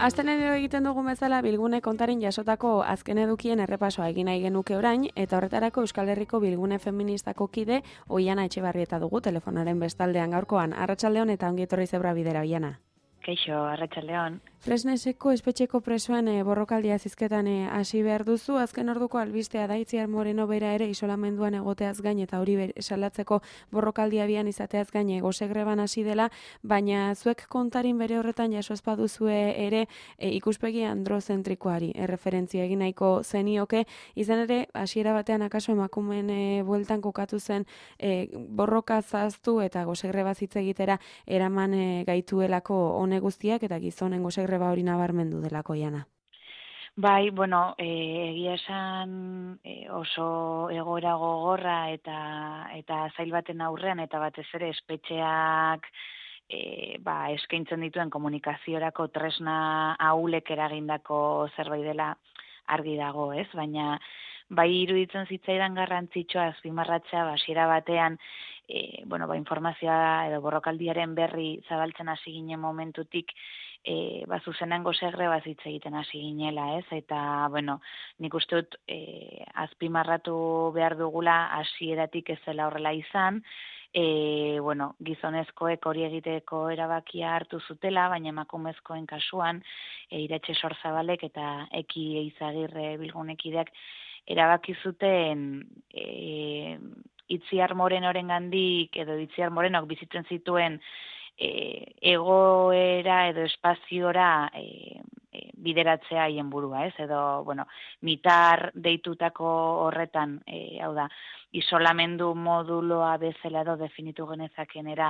Astelenero egiten dugun bezala Bilgune kontarin jasotako azken edukien errepasoa egin nahi genuke orain, eta horretarako Euskal Herriko Bilgune feministako kide Oiana Etxebarrieta dugu telefonaren bestaldean gaurkoan. Arratsaldeon eta ongi etorri Zebra Bidera, Oiana. Kaixo, arratsaldeon. Fresneseko espetxeko presoen borrokaldia zizketan hasi behar duzu, azken orduko albistea da Itziar Moreno bera ere isolamenduan egoteaz gain eta hori salatzeko borrokaldia abian izateaz gain gosegreban hasi dela, baina zuek kontarin bere horretan jaso ez baduzue ere ikuspegi androzentrikoari erreferentzia egin nahiko zenioke, izan ere hasiera batean akaso emakumeen bueltan kokatu zen borroka zaztu eta gosegrebaz hitz egitera eraman gaituelako hone guztiak eta gizonen gosegreba hori nabarmendu delako, Oiana. Bai, egia esan oso egoera gogorra eta zail baten aurrean eta batez ere espetxeak eskaintzen dituen komunikaziorako tresna ahulek eragindako zerbait dela argi dago, ez? Baina bai iruditzen zitzaidan garrantzitsua azpimarratzea hasiera batean informazioa edo borrokaldiaren berri zabaltzen hasi ginen momentutik zuzenan gosegreba hitz egiten hasi ginela, ez? Eta, nik uste dut azpimarratu behar dugula hasieratik ez zela horrela izan, gizonezkoek hori egiteko erabakia hartu zutela, baina emakumezkoen kasuan Iratxe Sorzabalek eta Eki Eizagirre Bilgunekideak erabaki zuten Itziar Morenorengandik edo Itziar Morenok bizitzen zituen egoera edo espaziora bideratzea haien burua, ez? Edo, mitar deitutako horretan, hau da, isolamendu moduloa bezala edo definitu genezakenera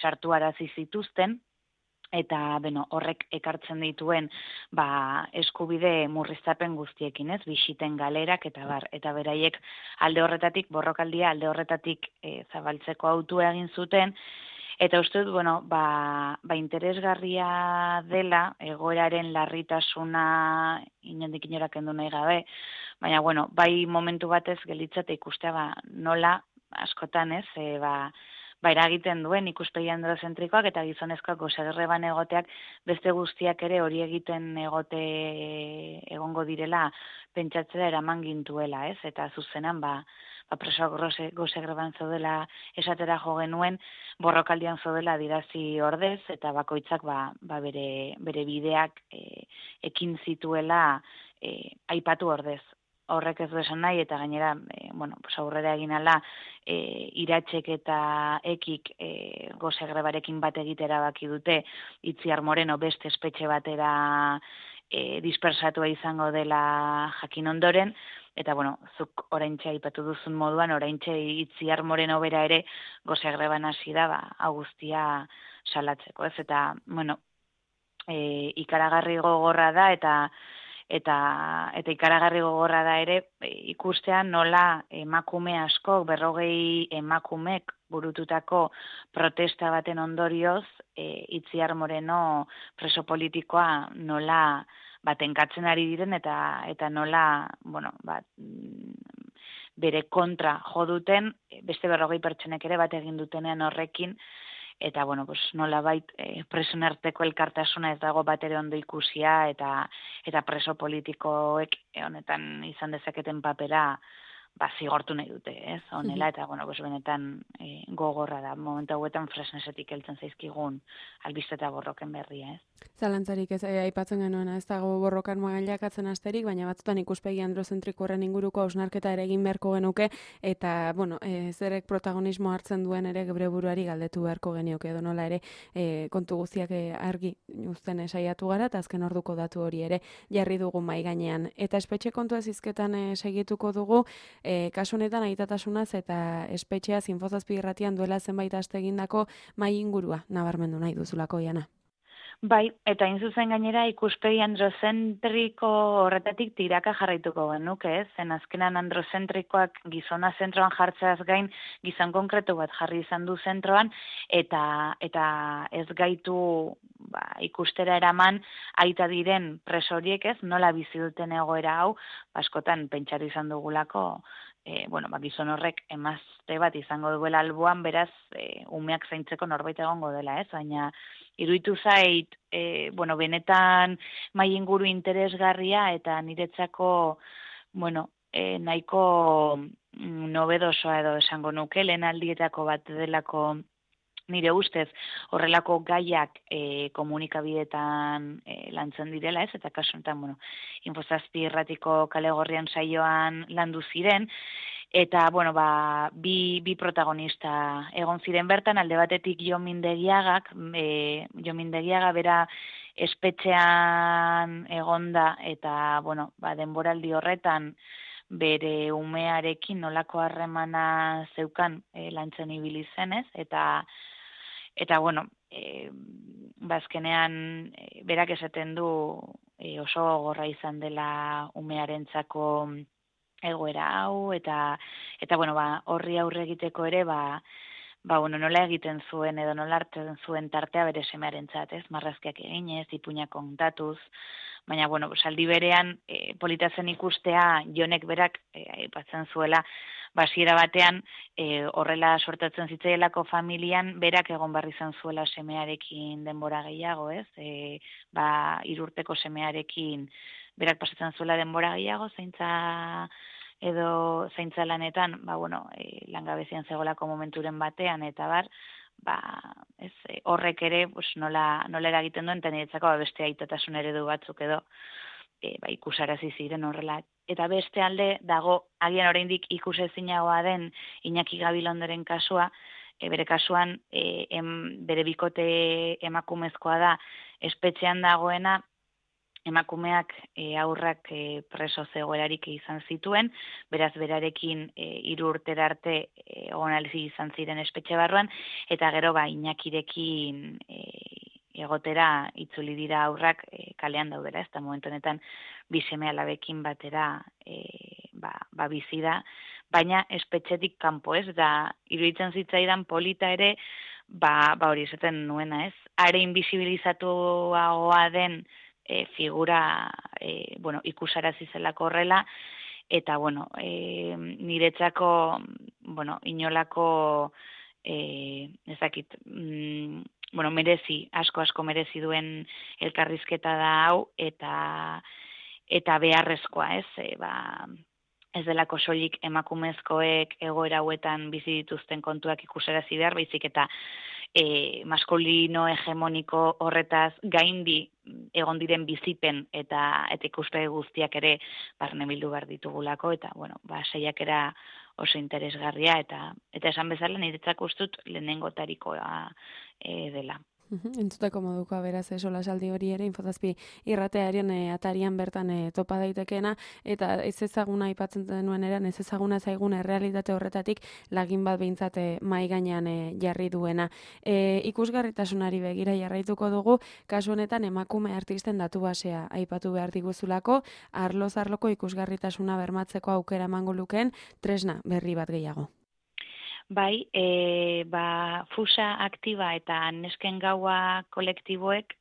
sartuarazi zituzten, eta horrek ekartzen dituen eskubide murriztapen guztiekin, ez? Bisiten galerak eta bar, eta beraiek alde horretatik, borrokaldia alde horretatik zabaltzeko autua egin zuten, eta uste dut, interesgarria dela egoeraren larritasuna inondik inora kendu nahi gabe, baina, bai momentu batez gelditzate ikustea, nola askotan, ez, eragiten duen ikuspegi androzentrikoak eta gizonezkoak gosegreban egoteak beste guztiak ere hori egiten egongo direla pentsatzera eraman gintuela, ez? Eta zuzenan, presoak gosegreban zaudela esatera jo genuen, borrokaldian zaudela adirazi ordez, eta bakoitzak bere bideak ekin zituela aipatu ordez. Horrek ez du esan nahi, eta gainera, aurrera egin ala, Iratxek eta Ekik gosegrebarekin bat egitera baki dute, Itziar Moreno beste espetxe batera dispersatua izango dela jakin ondoren, eta, zuk oraintxe aipatu duzun moduan, oraintxe Itziar Moreno bera ere gosegreban hasi da, hau guztia salatzeko, ez? Eta, ikaragarri gogorra da, eta ikaragarri gogorra da ere ikustean nola emakume askok, 40 emakumek burututako protesta baten ondorioz Itziar Moreno preso politikoa nola tenkatzen ari diren eta nola bere kontra jo duten, beste 40 pertsonek ere bat egin dutenean horrekin, eta, nola presoen arteko elkartasuna ez dago bat ere ondo ikusia, eta preso politikoek honetan izan dezaketen papera zigortu nahi dute, ez? Honela, eta, benetan gogorra da. Momentu hauetan Fresnesetik heltzen zaizkigun albiste eta borroken berria, ez? Zalantzarik ez aipatzen genuena, ez dago borrokan mailakatzen asterik, baina batzutan ikuspegi androzentriko horren inguruko hausnarketa ere egin beharko genuke, eta, zerek protagonismo hartzen duen ere gebre buruari galdetu beharko genioke, edo nola ere kontu guztiak argi uzten saiatu gara, eta azken orduko datu hori ere jarri dugu mai gainean. Eta espetxe kontua zizketan segituko dugu, kasu honetan aitatasunaz eta espetxea Zinfozazpi irratian duela zenbait aste egindako mai ingurua nabarmendu nahi duzulako, Oiana. Bai, eta hain zuzen gainera ikuspegi androzentriko horretatik tiraka jarraituko genuke, ez? Zen azkenan androzentrikoak gizona zentroan jartzeaz gain gizon konkretu bat jarri izan du zentroan, eta ez gaitu ikustera eraman aita diren preso horiek, ez, nola bizi duten egoera hau, askotan pentsatu izan dugulako, gizon horrek emazte bat izango duela alboan, beraz, umeak zaintzeko norbait egongo dela, ez, baina iruditu zait, benetan mai inguru interesgarria eta niretzako, nahiko nobedosoa edo esango nuke, lehen aldietako bat delako nire ustez horrelako gaiak komunikabidetan lantzen direla, ez, eta kasu honetan, Info7 irratiko Kale Gorrian saioan landu ziren, eta, bi protagonista egon ziren bertan, alde batetik Jon Mindegiaga bera espetxean egonda, eta, denboraldi horretan, bere umearekin nolako harremana zeukan lantzen ibili zenez, eta azkenean berak esaten du oso gogorra izan dela umearentzako egoera hau, eta horri aurre egiteko ere, nola egiten zuen edo nola hartzen zuen tartea bere semearentzat, ez, marrazkiak eginez, ipuinak kontatuz, baina, saldi berean, politazen ikustea, Jonek berak, aipatzen zuela, basiera batean, horrela sortatzen zitzaielako familian, berak egon barri izan zuela semearekin denbora gehiago, ez? 3 urteko semearekin berak pasatzen zuela denbora gehiago, zaintza lanetan, langabezian zegolako momenturen batean, eta horrek ere nola eragiten duen, eta niretzako beste aitatasun eredu batzuk edo ikusarazi ziren horrela. Eta beste alde dago, agian oraindik ikusezinagoa den Iñaki Gabilondoren kasua, bere kasuan bere bikote emakumezkoa da, espetxean dagoena, emakumeak aurrak preso zegoerarik izan zituen, beraz berarekin 3 urtera arte egonalzi izan ziren espetxe barruan, eta gero Iñakirekin egotera itzuli dira aurrak kalean daudela, ez da momentu honetan 2 seme-alabekin batera bizi da, baina espetxetik kanpo, ez, da iruditzen zitzaidan polita ere, hori esaten nuena, ez, are invisibilizatuagoa den figura ikusarazi zelako horrela, eta niretzako inolako ezakit merezi, asko merezi duen elkarrizketa da hau, eta beharrezkoa, ez, ez delako soilik emakumezkoek egoera hauetan bizi dituzten kontuak ikusarazi behar, baizik eta maskulino hegemoniko horretaz gaindi egon diren bizipen eta ikuspegi guztiak ere barne bildu behar ditugulako, eta saiakera oso interesgarria, eta esan bezala niretzako ustut lehenengotarikoa dela. Entzuteko modukoa beraz solasaldi hori ere Info7 irratearen atarian bertan topa daitekeena, eta ez ezaguna aipatzen denuen eran, ez ezaguna zaigun errealitate horretatik lagin bat behintzat mahai gainean jarri duena. Ikusgarritasunari begira jarraituko dugu, kasu honetan emakume artisten datu basea aipatu behar diguzulako, arlo-zarloko ikusgarritasuna bermatzeko aukera emango lukeen tresna berri bat gehiago. Bai, Fusa Aktiba eta Nesken Gaua kolektiboek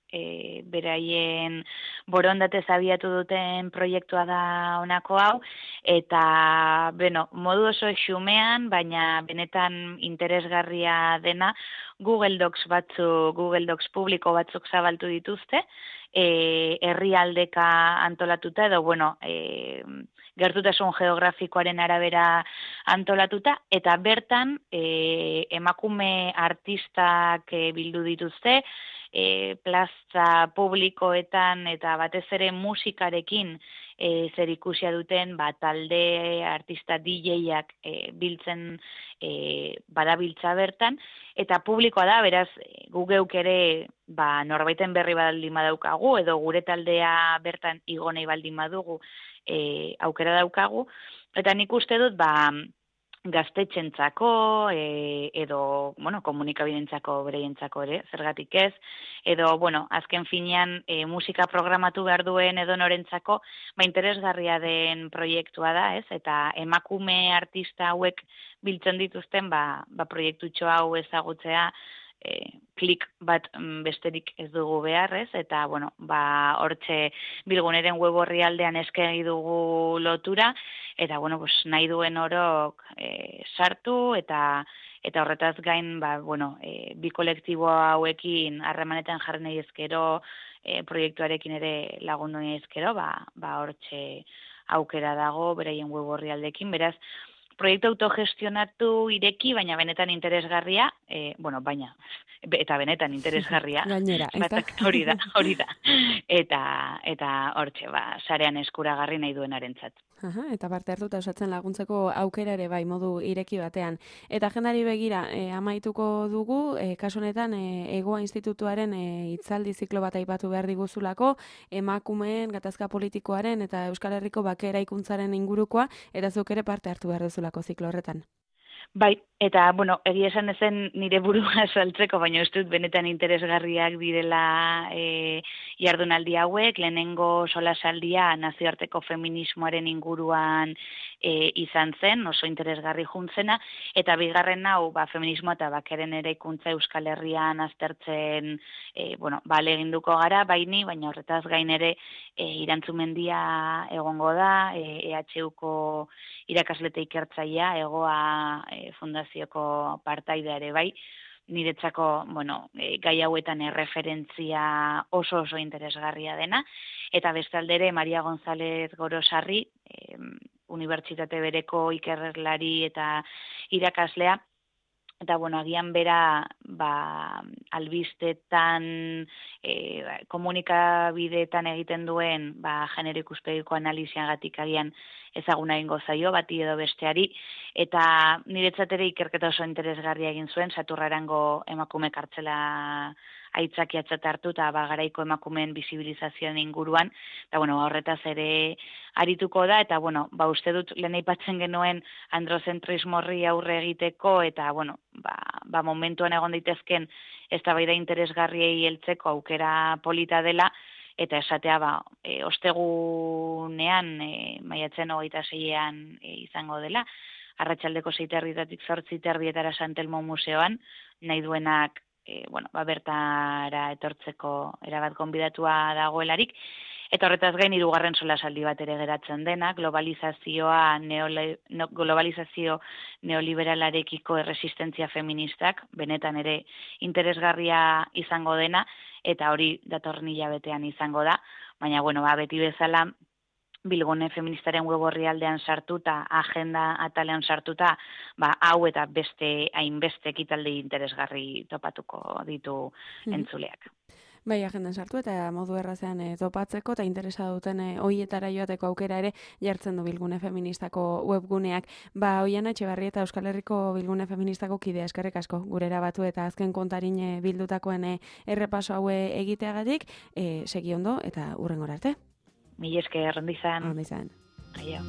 beraien borondatez abiatu duten proiektua da honako hau, eta modu oso xumean, baina benetan interesgarria dena, Google Docs publiko batzuk zabaltu dituzte, herrialdeka antolatuta edo, gertutasun geografikoaren arabera antolatuta, eta bertan emakume artistak bildu dituzte, plaza publikoetan eta batez ere musikarekin zer ikusia duten, talde artista DJ-ak biltzen badabiltza bertan, eta publikoa da, beraz, gu geuk ere norbaiten berri baldin badaukagu, edo gure taldea bertan igonei baldin badugu aukera daukagu, eta nik uste dut, gaztetxentzako edo komunikabidentzako bereientzako ere, zergatik ez, edo azken finean musika programatu behar duen edo norentzako interesgarria den proiektua da, ez, eta emakume artista hauek biltzen dituzten proiektutxo hau ezagutzea klik bat besterik ez dugu behar, ez? Eta, bueno, hortxe Bilguneren web orrialdean eskegi dugu lotura, eta, bueno, nahi duen orok sartu, eta horretaz gain, bi kolektibo hauekin harremanetan jarri nahi ezkero, proiektuarekin ere lagundu nahi ezkero, hortxe aukera dago, beraien web orrialdekin, beraz, proiektu autogestionatu ireki, baina benetan interesgarria, eta benetan interesgarria. Gainera, ez da? Hori da. Eta hortxe, sarean eskuragarri nahi duenarentzat. Eta parte hartuta osatzen laguntzeko aukera ere bai modu ireki batean. Eta agendari begira amaituko dugu, kasu honetan Egoa Institutuaren hitzaldi ziklo bat aipatu behar diguzulako, emakumeen gatazka politikoaren eta Euskal Herriko bake eraikuntzaren ingurukoa, eta zuk ere parte hartu behar duzulako ziklo horretan. Bai, eta, egia esan ezen nire burua saltzeko, baina uste dut benetan interesgarriak direla jardunaldi hauek, lehenengo solasaldia nazioarteko feminismoaren inguruan izan zen, oso interesgarri juntzena, eta bigarren hau, feminismoa eta bakeren eraikuntza Euskal Herrian aztertzen, aleginduko gara, baina horretaz gain ere irantzumendia egongo da, EHUko irakaslete ikertzailea, Egoa fundazioko partaidea ere bai, niretzako, gai hauetan erreferentzia oso interesgarria dena, eta bestalde ere Maria González Gorosarri, unibertsitate bereko ikerlari eta irakaslea, eta agian bera albistetan, komunikabideetan egiten duen genero ikuspegiko analiziagatik agian ezaguna egingo zaio bati edo besteari, eta niretzat ere ikerketa oso interesgarria egin zuen, Saturrarango emakume kartzela aitzakiatzat hartu, eta garaiko emakumeen bizibilizazioen inguruan, eta horretaz ere arituko da, eta uste dut lehen aipatzen genuen androzentrismo horri aurre egiteko, eta momentuan egon daitezken eztabaida interesgarriei heltzeko aukera polita dela, eta esatea ostegunean, maiatzen 26ean izango dela, arratsaldeko 6:00 8:30 Sant Elmo Museoan, nahi duenak bertara etortzeko erabat gonbidatua dagoelarik, eta horretaz gain 3. solasaldi bat ere geratzen dena, globalizazio neoliberalarekiko erresistentzia feministak, benetan ere interesgarria izango dena, eta hori datorren hilabetean izango da, baina beti bezala, Bilgune feministaren web orrialdean sartuta, agenda atalean sartuta, hau eta beste hainbeste ekitaldi interesgarri topatuko ditu entzuleak. Bai, agendan sartu eta modu errazean topatzeko eta interesa duten hoietara joateko aukera ere jartzen du Bilgune feministako webguneak. Oiana Etxebarrieta Euskal Herriko Bilgune feministako kidea, eskerrik asko gurera batu eta azken kontarin bildutakoen errepaso haue egiteagatik, segi ondo eta hurrengora arte. Mila esker, ondo izan. Ondo izan. Aio.